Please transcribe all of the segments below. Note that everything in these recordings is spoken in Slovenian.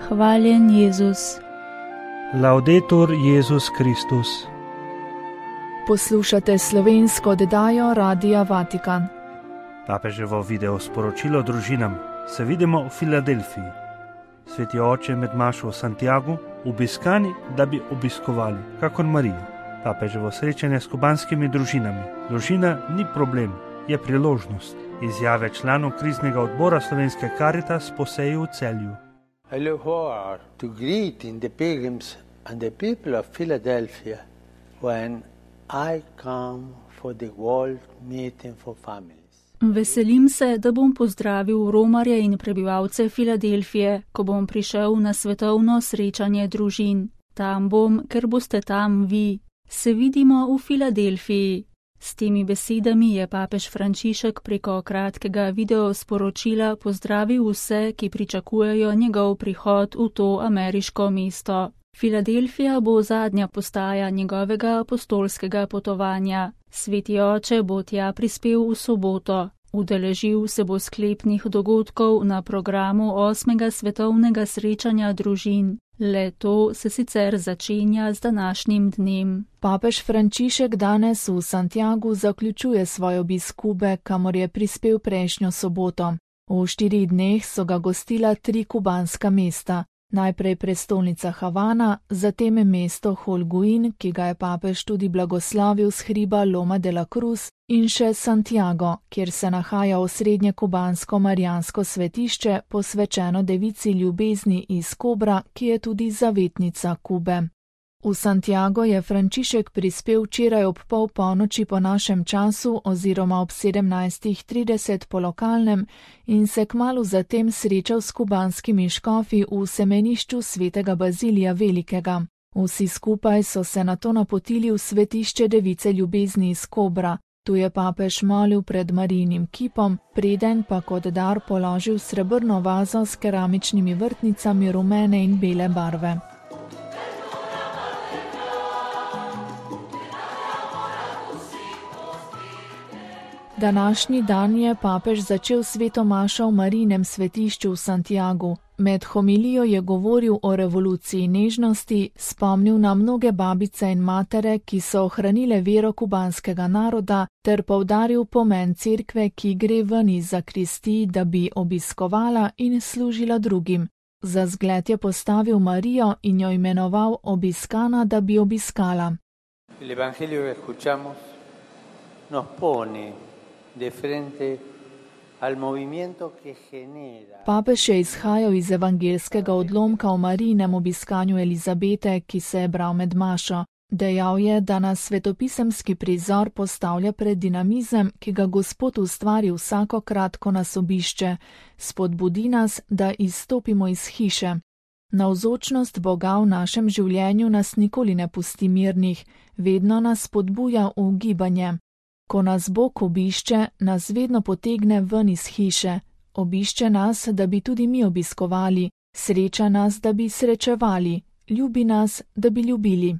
Hvaljen Jezus. Laudetur Jezus Kristus. Poslušate slovensko oddajo Radia Vatikan. Papeževo video sporočilo družinam. Se vidimo v Filadelfiji. Sveti oče med mašo v Santiagu obiskani, da bi obiskovali, kakor Marijo. Papeževo srečanje s kubanskimi družinami. Družina ni problem, je priložnost. Izjave članov kriznega odbora Slovenske Karitas po seji v Celju. I look forward to greeting the pilgrims and the people of Philadelphia when I come for the World Meeting for Families. Veselim se, da bom pozdravil romarje in prebivalce Filadelfije, ko bom prišel na svetovno srečanje družin. Tam bom, ker boste tam vi. Se vidimo v Filadelfiji. S temi besedami je papež Frančišek preko kratkega videosporočila pozdravil vse, ki pričakujejo njegov prihod v to ameriško mesto. Filadelfija bo zadnja postaja njegovega apostolskega potovanja. Sveti oče bo tja prispel v soboto. Udeležil se bo sklepnih dogodkov na programu 8. svetovnega srečanja družin. Le to se sicer začenja z današnjim dnem. Papež Frančišek danes v Santiagu zaključuje svoj obisk Kube, kamor je prispel prejšnjo soboto. V 4 dneh so ga gostila 3 kubanska mesta. Najprej prestolnica Havana, zatem mesto Holguin, ki ga je papež tudi blagoslovil s hriba Loma de la Cruz, in še Santiago, kjer se nahaja osrednje kubansko marijansko svetišče, posvečeno devici ljubezni iz Kobra, ki je tudi zavetnica Kube. V Santiago je Frančišek prispel včeraj ob pol polnoči po našem času oziroma ob 17:30 po lokalnem in se kmalu zatem srečal s kubanskimi škofi v semenišču svetega Bazilija Velikega. Vsi skupaj so se nato napotili v svetišče device ljubezni iz Kobra. Tu je papež molil pred Marijinim kipom, preden pa kot dar položil srebrno vazo s keramičnimi vrtnicami rumene in bele barve. Današnji dan je papež začel sveto mašo v Marijinem svetišču v Santiagu. Med homilijo je govoril o revoluciji nežnosti, spomnil na mnoge babice in matere, ki so ohranile vero kubanskega naroda, ter poudaril pomen cerkve, ki gre ven iz zakristij, da bi obiskovala in služila drugim. Za zgled je postavil Marijo in jo imenoval obiskana, da bi obiskala. El evangelio que escuchamos nos pone de frente al movimiento que genera. Papež je izhajal iz evangelskega odlomka o Marijinem obiskanju Elizabete, ki se je bral med mašo. Dejal je, da nas svetopisemski prizor postavlja pred dinamizem, ki ga Gospod ustvari vsakokrat, ko nas obišče. Spodbudi nas, da izstopimo iz hiše. Navzočnost Boga v našem življenju nas nikoli ne pusti mirnih, vedno nas spodbuja v gibanje. Ko nas Bog obišče, nas vedno potegne ven iz hiše. Obišče nas, da bi tudi mi obiskovali, sreča nas, da bi srečevali, ljubi nas, da bi ljubili.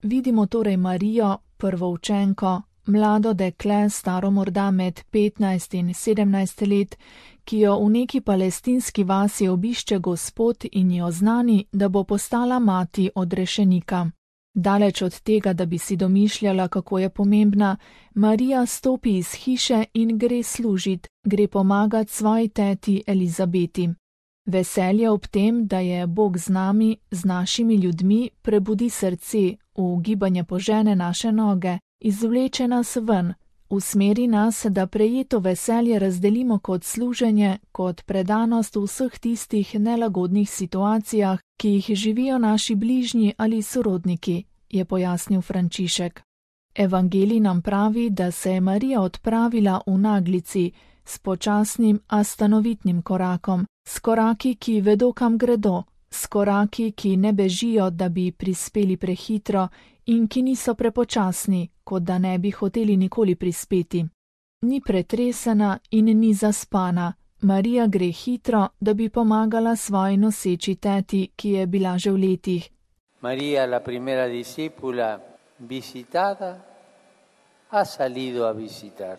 Vidimo torej Marijo, prvoučenko, mlado dekle, staro morda med 15 in 17 let, ki jo v neki palestinski vasi obišče Gospod in jo oznani, da bo postala mati odrešenika. Daleč od tega, da bi si domišljala, kako je pomembna, Marija stopi iz hiše in gre služit, gre pomagat svoji teti Elizabeti. Veselje ob tem, da je Bog z nami, z našimi ljudmi, prebudi srce, v gibanje požene naše noge, izvleče nas ven, usmeri nas, da prejeto veselje razdelimo kot služenje, kot predanost v vseh tistih nelagodnih situacijah, ki jih živijo naši bližnji ali sorodniki, je pojasnil Frančišek. Evangelij nam pravi, da se je Marija odpravila v naglici, s počasnim, a stanovitnim korakom, s koraki, ki vedo, kam gredo, s koraki, ki ne bežijo, da bi prispeli prehitro in ki niso prepočasni, kot da ne bi hoteli nikoli prispeti. Ni pretresena in ni zaspana. Marija gre hitro, da bi pomagala svoji noseči teti, ki je bila že v letih. María, la primera discípula visitada, ha salido a visitar.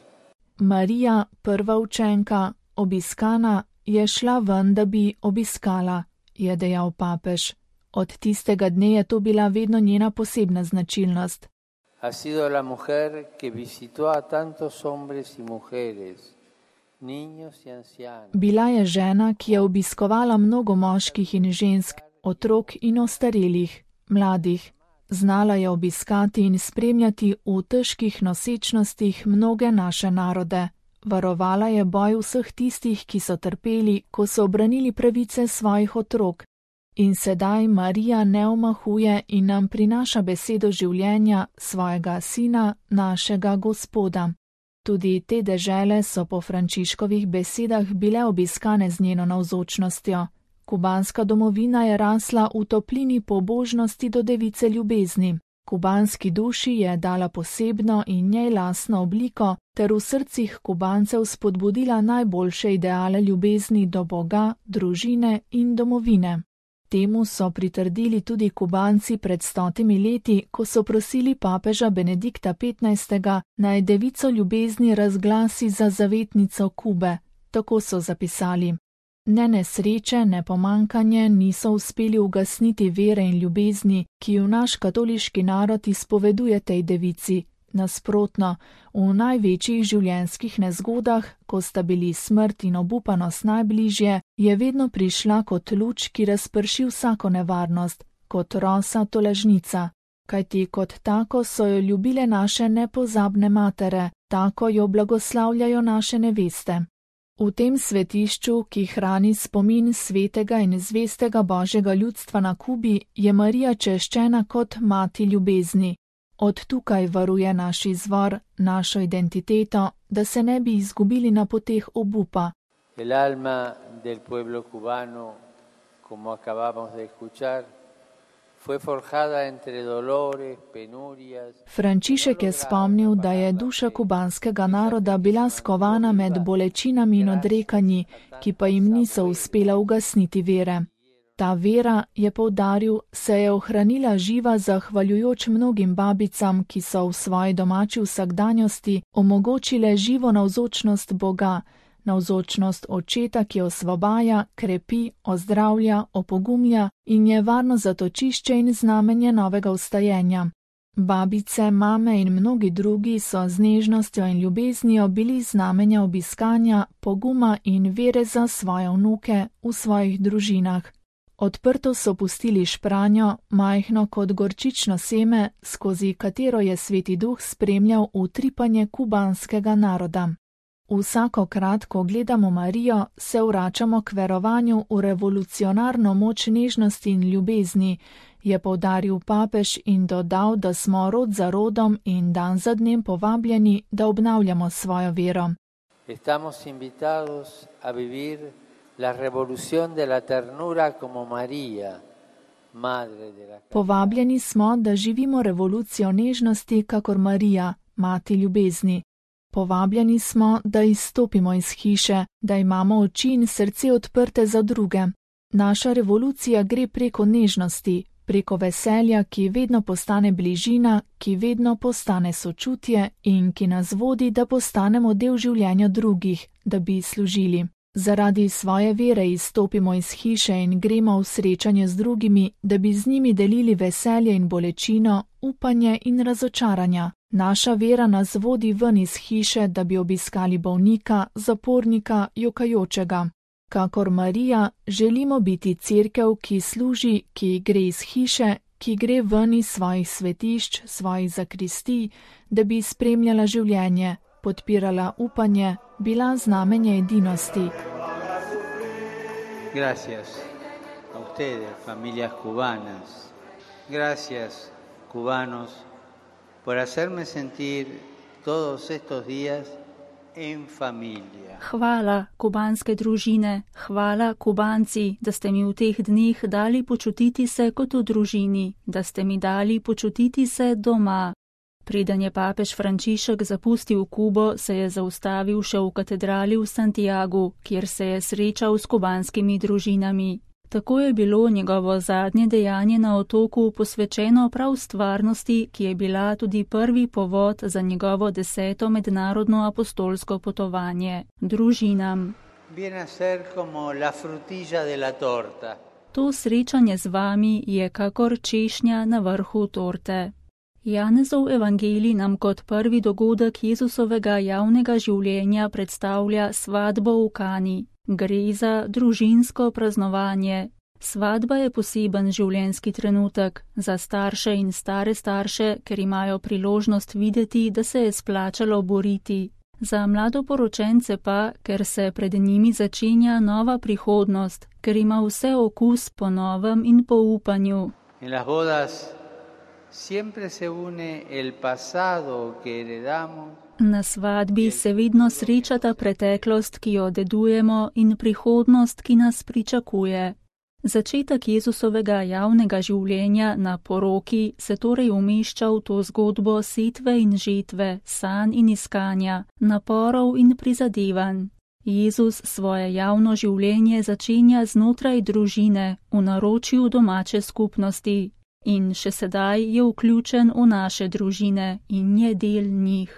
Marija, prva učenka, obiskana, je šla ven, da bi obiskala, je dejal papež. Od tistega dne je to bila vedno njena posebna značilnost. Ha sido la mujer que visitó a tantos hombres y mujeres, niños y ancianos. Bila je žena, ki je obiskovala mnogo moških in žensk, otrok in ostarelih, mladih. Znala je obiskati in spremljati v težkih nosečnostih mnoge naše narode. Varovala je boj vseh tistih, ki so trpeli, ko so obranili pravice svojih otrok. In sedaj Marija ne omahuje in nam prinaša besedo življenja svojega sina, našega Gospoda. Tudi te dežele so po Frančiškovih besedah bile obiskane z njeno navzočnostjo. Kubanska domovina je rasla v toplini pobožnosti do device ljubezni. Kubanski duši je dala posebno in njej lastno obliko ter v srcih Kubancev spodbudila najboljše ideale ljubezni do Boga, družine in domovine. Temu so pritrdili tudi Kubanci pred 100 leti, ko so prosili papeža Benedikta XV. Naj devico ljubezni razglasi za zavetnico Kube. Tako so zapisali. Ne nesreče, ne pomankanje niso uspeli ugasniti vere in ljubezni, ki v naš katoliški narod izpoveduje tej devici. Nasprotno, v največjih življenjskih nezgodah, ko sta bili smrt in obupanost najbližje, je vedno prišla kot luč, ki razprši vsako nevarnost, kot rosa tolažnica. Kajti kot tako so jo ljubile naše nepozabne matere, tako jo blagoslavljajo naše neveste. V tem svetišču, ki hrani spomin svetega in zvestega Božjega ljudstva na Kubi, je Marija češčena kot mati ljubezni. Od tukaj varuje naš izvor, našo identiteto, da se ne bi izgubili na poteh obupa. El alma del pueblo cubano, como acabamos de escuchar, fue forjada entre dolores, penurias. Frančišek je spomnil, da je duša kubanskega naroda bila skovana med bolečinami in odrekanji, ki pa jim niso uspela ugasniti vere. Ta vera, je poudaril, se je ohranila živa zahvaljujoč mnogim babicam, ki so v svoji domači vsakdanjosti omogočile živo navzočnost Boga, navzočnost očeta, ki osvobaja, krepi, ozdravlja, opogumlja in je varno zatočišče in znamenje novega vstajenja. Babice, mame in mnogi drugi so z nežnostjo in ljubeznijo bili znamenja obiskanja, poguma in vere za svoje vnuke v svojih družinah. Odprto so pustili špranjo, majhno kot gorčično seme, skozi katero je Sveti Duh spremljal utripanje kubanskega naroda. Vsakokrat, ko gledamo Marijo, se vračamo k verovanju v revolucionarno moč nežnosti in ljubezni, je poudaril papež in dodal, da smo rod za rodom in dan za dnem povabljeni, da obnavljamo svojo vero. Estamos invitados a vivir la revolución de la ternura como María, madre de la... Povabljeni smo, da živimo revolucijo nežnosti kakor Marija, mati ljubezni. Povabljeni smo, da izstopimo iz hiše, da imamo oči in srce odprte za druge. Naša revolucija gre preko nežnosti, preko veselja, ki vedno postane bližina, ki vedno postane sočutje in ki nas vodi, da postanemo del življenja drugih, da bi služili. Zaradi svoje vere izstopimo iz hiše in gremo v srečanje z drugimi, da bi z njimi delili veselje in bolečino, upanje in razočaranja. Naša vera nas vodi ven iz hiše, da bi obiskali bolnika, zapornika, jokajočega. Kakor Marija, želimo biti cerkev, ki služi, ki gre iz hiše, ki gre ven iz svojih svetišč, svojih zakristij, da bi spremljala življenje, podpirala upanje, bila znamenje edinosti. Gracias a ustedes, familias cubanas. Gracias, cubanos, por hacerme sentir todos estos días en familia. Hvala, kubanske družine, hvala, Kubanci, da ste mi v teh dneh dali počutiti se kot v družini, da ste mi dali počutiti se doma. Preden je papež Frančišek zapustil Kubo, se je zaustavil še v katedrali v Santiagu, kjer se je srečal s kubanskimi družinami. Tako je bilo njegovo zadnje dejanje na otoku posvečeno prav stvarnosti, ki je bila tudi prvi povod za njegovo 10. mednarodno apostolsko potovanje – družinam. To srečanje z vami je kakor češnja na vrhu torte. Janezov evangelij nam kot prvi dogodek Jezusovega javnega življenja predstavlja svatbo v Kani. Gre za družinsko praznovanje. Svatba je poseben življenjski trenutek za starše in stare starše, ker imajo priložnost videti, da se je splačalo boriti. Za mladoporočence pa, ker se pred njimi začenja nova prihodnost, ker ima vse okus po novem in po upanju. Na svadbi se vedno srečata preteklost, ki jo dedujemo, in prihodnost, ki nas pričakuje. Začetek Jezusovega javnega življenja na poroki se torej umešča v to zgodbo setve in žetve, sanj in iskanja, naporov in prizadevanj. Jezus svoje javno življenje začenja znotraj družine, v naročju domače skupnosti in še sedaj je vključen v naše družine in je del njih.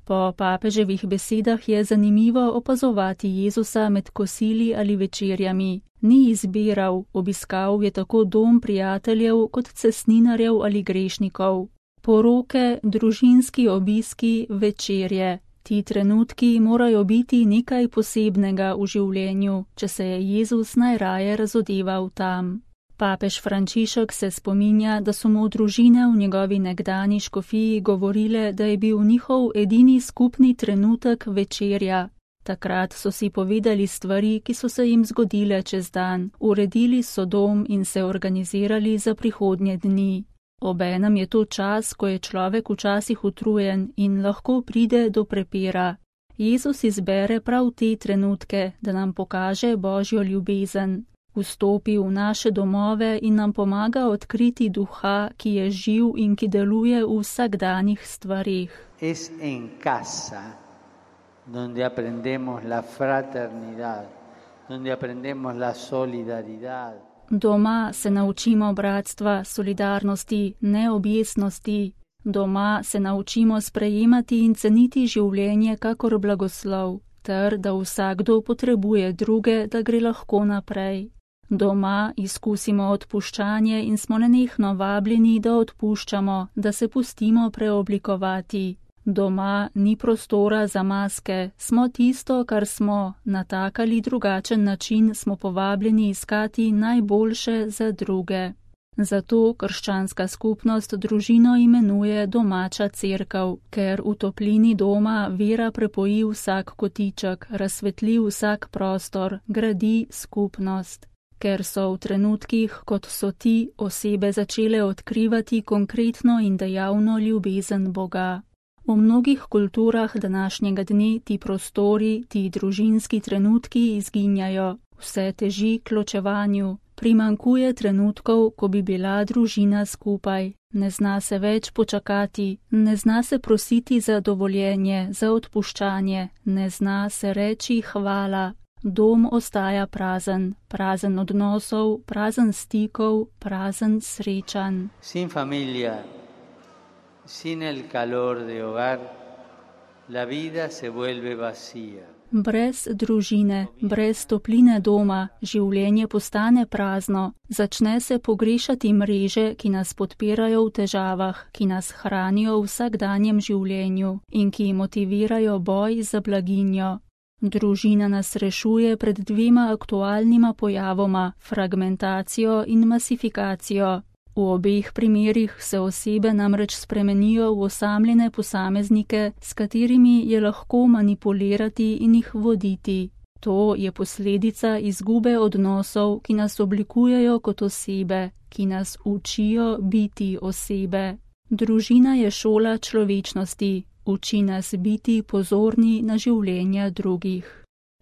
Po papeževih besedah je zanimivo opazovati Jezusa med kosili ali večerjami. Ni izbiral, obiskal je tako dom prijateljev kot cestninarjev ali grešnikov. Poroke, družinski obiski, večerje. Ti trenutki morajo biti nekaj posebnega v življenju, če se je Jezus najraje razodeval tam. Papež Frančišek se spominja, da so mu družine v njegovi nekdani škofiji govorile, da je bil njihov edini skupni trenutek večerja. Takrat so si povedali stvari, ki so se jim zgodile čez dan, uredili so dom in se organizirali za prihodnje dni. Obenem je to čas, ko je človek včasih utrujen in lahko pride do prepira. Jezus izbere prav te trenutke, da nam pokaže Božjo ljubezen. Vstopi v naše domove in nam pomaga odkriti duha, ki je živ in ki deluje v vsakdanjih stvarih. Es en casa, donde aprendemos la fraternidad, donde aprendemos la solidaridad. Doma se naučimo bratstva, solidarnosti, neobjesnosti. Doma se naučimo sprejemati in ceniti življenje kakor blagoslov, ter da vsakdo potrebuje druge, da gre lahko naprej. Doma izkusimo odpuščanje in smo nenehno vabljeni, da odpuščamo, da se pustimo preoblikovati. Doma ni prostora za maske, smo tisto, kar smo, na tak ali drugačen način smo povabljeni iskati najboljše za druge. Zato krščanska skupnost družino imenuje domača cerkev, ker v toplini doma vera prepoji vsak kotiček, razsvetli vsak prostor, gradi skupnost. Ker so v trenutkih, kot so ti, osebe začele odkrivati konkretno in dejavno ljubezen Boga. V mnogih kulturah današnjega dne ti prostori, ti družinski trenutki izginjajo, vse teži k ločevanju, primanjkuje trenutkov, ko bi bila družina skupaj, ne zna se več počakati, ne zna se prositi za dovoljenje, za odpuščanje, ne zna se reči hvala. Dom ostaja prazen, prazen odnosov, prazen stikov, prazen srečanj. Sin familia, sin el calor de hogar, la vida se vuelve vacía. Brez družine, brez topline doma, življenje postane prazno, začne se pogrešati mreže, ki nas podpirajo v težavah, ki nas hranijo v vsakdanjem življenju in ki motivirajo boj za blaginjo. Družina nas rešuje pred dvema aktualnima pojavoma, fragmentacijo in masifikacijo. V obeh primerih se osebe namreč spremenijo v osamljene posameznike, s katerimi je lahko manipulirati in jih voditi. To je posledica izgube odnosov, ki nas oblikujejo kot osebe, ki nas učijo biti osebe. Družina je šola človečnosti. Uči nas biti pozorni na življenja drugih.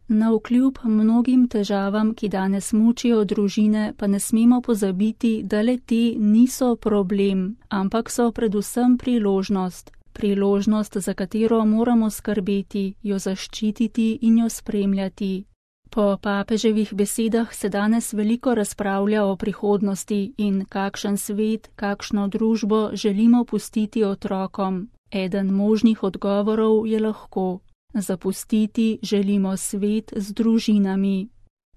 Navkljub mnogim težavam, ki danes mučijo družine, pa ne smemo pozabiti, da le te niso problem, ampak so predvsem priložnost. Priložnost, za katero moramo skrbeti, jo zaščititi in jo spremljati. Po papeževih besedah se danes veliko razpravlja o prihodnosti in kakšen svet, kakšno družbo želimo pustiti otrokom. Eden možnih odgovorov je lahko: zapustiti želimo svet z družinami.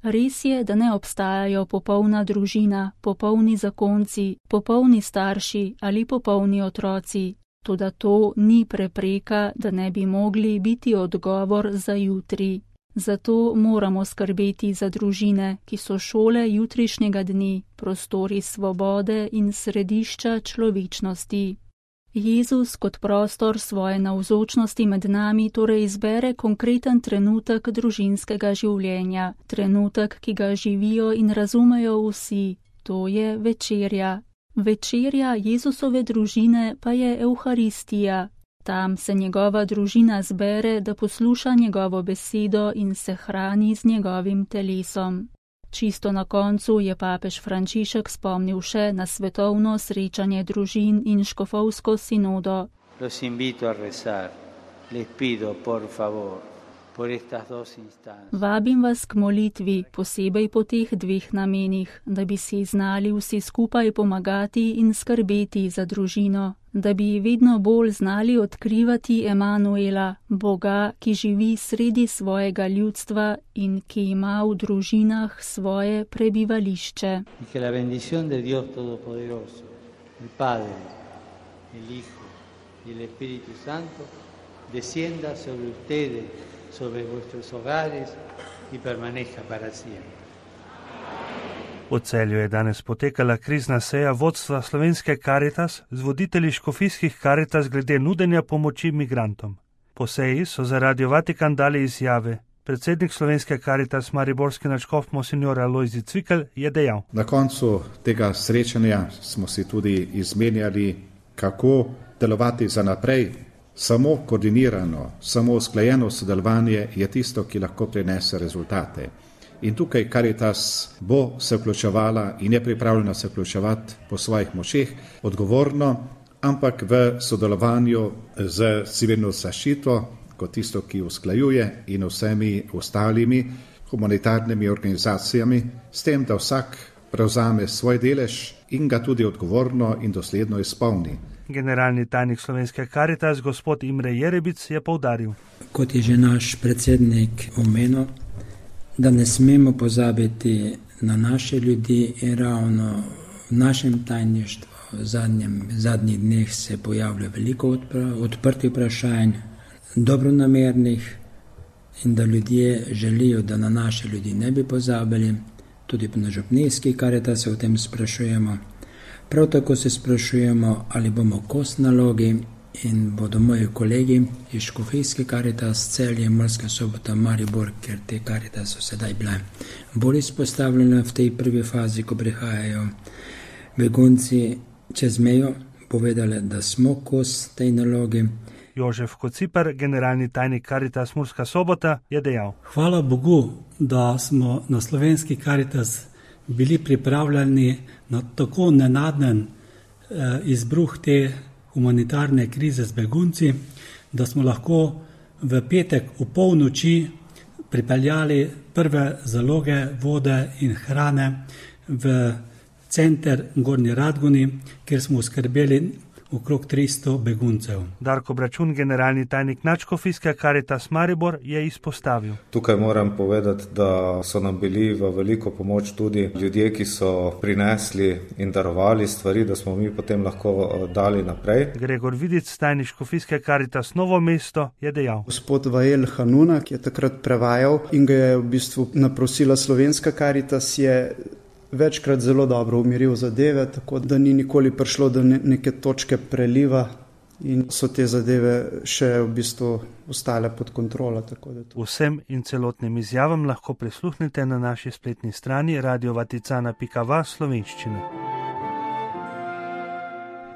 Res je, da ne obstajajo popolna družina, popolni zakonci, popolni starši ali popolni otroci. Toda to ni prepreka, da ne bi mogli biti odgovor za jutri. Zato moramo skrbeti za družine, ki so šole jutrišnjega dni, prostori svobode in središča človečnosti. Jezus kot prostor svoje navzočnosti med nami torej izbere konkreten trenutek družinskega življenja, trenutek, ki ga živijo in razumejo vsi, to je večerja. Večerja Jezusove družine pa je Evharistija. Tam se njegova družina zbere, da posluša njegovo besedo in se hrani z njegovim telesom. Čisto na koncu je papež Frančišek spomnil še na svetovno srečanje družin in škofovsko sinodo. Los invito a rezar. Les pido, por favor, por estas dos instancias. Vabim vas k molitvi, posebej po teh dveh namenih, da bi si znali vsi skupaj pomagati in skrbeti za družino, da bi vedno bolj znali odkrivati Emanuela, Boga, ki živi sredi svojega ljudstva in ki ima v družinah svoje prebivališče. Y que la bendición de Dios Todopoderoso, el Padre, el Hijo y el Espíritu Santo, descienda sobre ustedes, sobre vuestros hogares y permanezca para siempre. V Celju je danes potekala krizna seja vodstva Slovenske Karitas z voditelji škofijskih Karitas glede nudenja pomoči migrantom. Po seji so za Radio Vatikan dali izjave. Predsednik Slovenske Karitas mariborski nadškof monsignor Alojzij Cvikl je dejal: Na koncu tega srečanja smo si tudi izmenjali, kako delovati za naprej. Samo koordinirano, samo usklajeno sodelovanje je tisto, ki lahko prinese rezultate. In tukaj Karitas bo se vključevala in je pripravljena se vključevati po svojih močeh, odgovorno, ampak v sodelovanju z civilno zaščito, kot tisto, ki usklajuje, in vsemi ostalimi humanitarnimi organizacijami, s tem, da vsak prevzame svoj delež in ga tudi odgovorno in dosledno izpolni. Generalni tajnik Slovenske Karitas, gospod Imre Jerebic, je poudaril: Kot je že naš predsednik omenil, da ne smemo pozabiti na naše ljudi in ravno v našem tajništvu v zadnjih dneh se pojavlja veliko odprtih vprašanj, dobronamernih, in da ljudje želijo, da na naše ljudi ne bi pozabili. Tudi na župnijski Karitas se o tem sprašujemo. Prav tako se sprašujemo, ali bomo kos nalogi in bodo moji kolegi iz škofijske Karitas, Celje, Murska Sobota, Maribor, ker te Karitas so sedaj bile bolj izpostavljene v tej prvi fazi, ko prihajajo begunci čez mejo, povedali, da smo kos tej nalogi. Jožef Kociper, generalni tajnik Karitas Murska Sobota, je dejal: Hvala Bogu, da smo na Slovenski Karitas bili pripravljeni na tako nenaden izbruh te humanitarne krize z begunci, da smo lahko v petek v polnoči pripeljali prve zaloge vode in hrane v center Gornji Radgoni, kjer smo oskrbeli okrog 300 beguncev. Darko Bračun, generalni tajnik nadškofijske Karitas Maribor, je izpostavil: Tukaj moram povedati, da so nam bili v veliko pomoč tudi ljudje, ki so prinesli in darovali stvari, da smo mi potem lahko dali naprej. Gregor Vidic, tajnik škofijske Karitas Novo mesto, je dejal: Gospod Vael Hanuna, ki je takrat prevajal in ga je v bistvu naprosila Slovenska Karitas, je večkrat zelo dobro umiril zadeve, tako da ni nikoli prišlo do neke točke preliva in so te zadeve še v bistvu ostale pod kontrolo. Vsem in celotnim izjavam lahko prisluhnete na naši spletni strani radiovaticana.va slovenščine.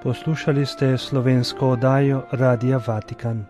Poslušali ste slovensko oddajo Radia Vatikan.